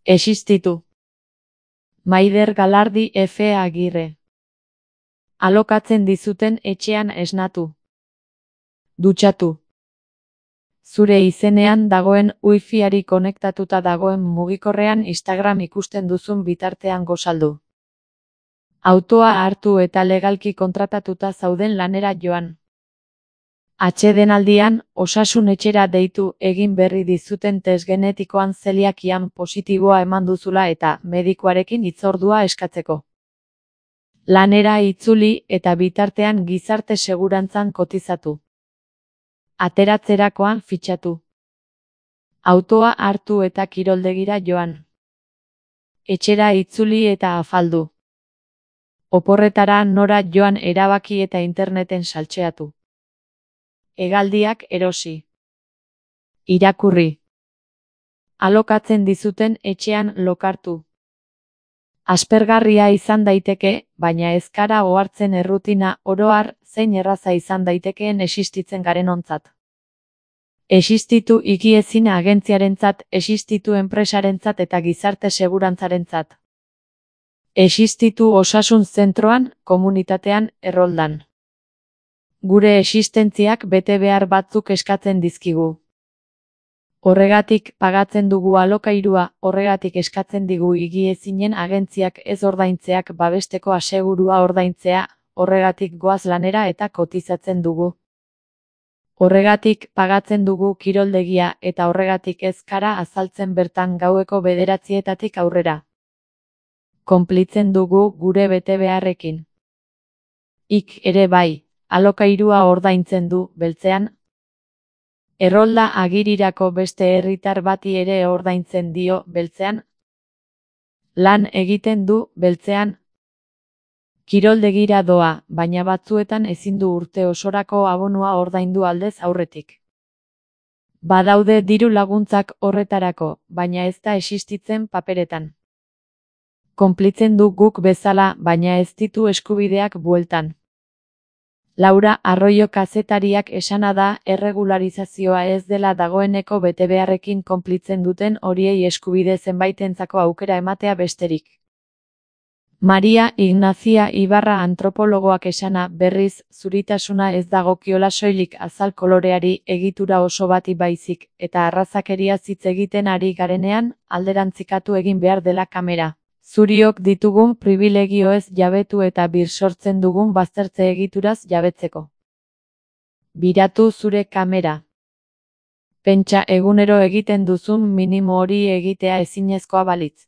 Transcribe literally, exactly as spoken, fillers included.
Existitu. Maider Galardi F. Agirre. Alokatzen dizuten etxean esnatu. Dutxatu. Zure izenean dagoen wifiari konektatuta dagoen mugikorrean Instagram ikusten duzun bitartean gosaldu. Autoa hartu eta legalki kontratatuta zauden lanera joan. Atsedenaldian, osasun etxera deitu egin berri dizuten test genetikoan zeliakian positiboa eman duzula eta medikuarekin hitzordua eskatzeko. Lanera itzuli eta bitartean gizarte segurantzan kotizatu. Ateratzerakoan fitxatu. Autoa hartu eta kiroldegira joan. Etxera itzuli eta afaldu. Oporretara nora joan erabaki eta interneten saltxeatu. Hegaldiak erosi. Irakurri. Alokatzen dizuten etxean lokartu. Aspergarria izan daiteke, baina ez gara ohartzen errutina oro har zein erraza izan daitekeen existitzen garenontzat. Existitu higiezin agentziarentzat, existitu enpresarentzat eta gizarte segurantzarentzat. Existitu osasun zentroan, komunitatean, erroldan. Gure existentziak bete behar batzuk eskatzen dizkigu. Horregatik pagatzen dugu alokairua, horregatik eskatzen digu higiezinen agentziak ez ordaintzeak babesteko asegurua ordaintzea, horregatik goaz lanera eta kotizatzen dugu. Horregatik pagatzen dugu kiroldegia eta horregatik ez gara azaltzen bertan gaueko bederatzietatik aurrera. Konplitzen dugu gure bete beharrekin. Ik ere bai, alokairua ordaintzen du, beltzean. Errolda Agirirako beste herritar bati ere ordaintzen dio, beltzean. Lan egiten du, beltzean. Kiroldegira doa, baina batzuetan ezin du urte osorako abonua ordaindu aldez aurretik. Badaude diru laguntzak horretarako, baina ez da existitzen paperetan. Konplitzen du guk bezala, baina ez ditu eskubideak bueltan. Laura Arroyo kazetariak esana da erregularizazioa ez dela dagoeneko betebeharrekin konplitzen duten horiei eskubide zenbaitentzako aukera ematea besterik. Maria Ignazia Ibarra antropologoak esana berriz zuritasuna ez dagokiola soilik azal koloreari egitura oso bati baizik eta arrazakeria hitz egiten ari garenean alderantzikatu egin behar dela kamera. Zuriok ditugun pribilegioez jabetu eta bir sortzen dugun baztertze egituraz jabetzeko. Biratu zure kamera. Pentsa egunero egiten duzun minimo hori egitea ezinezkoa balitz.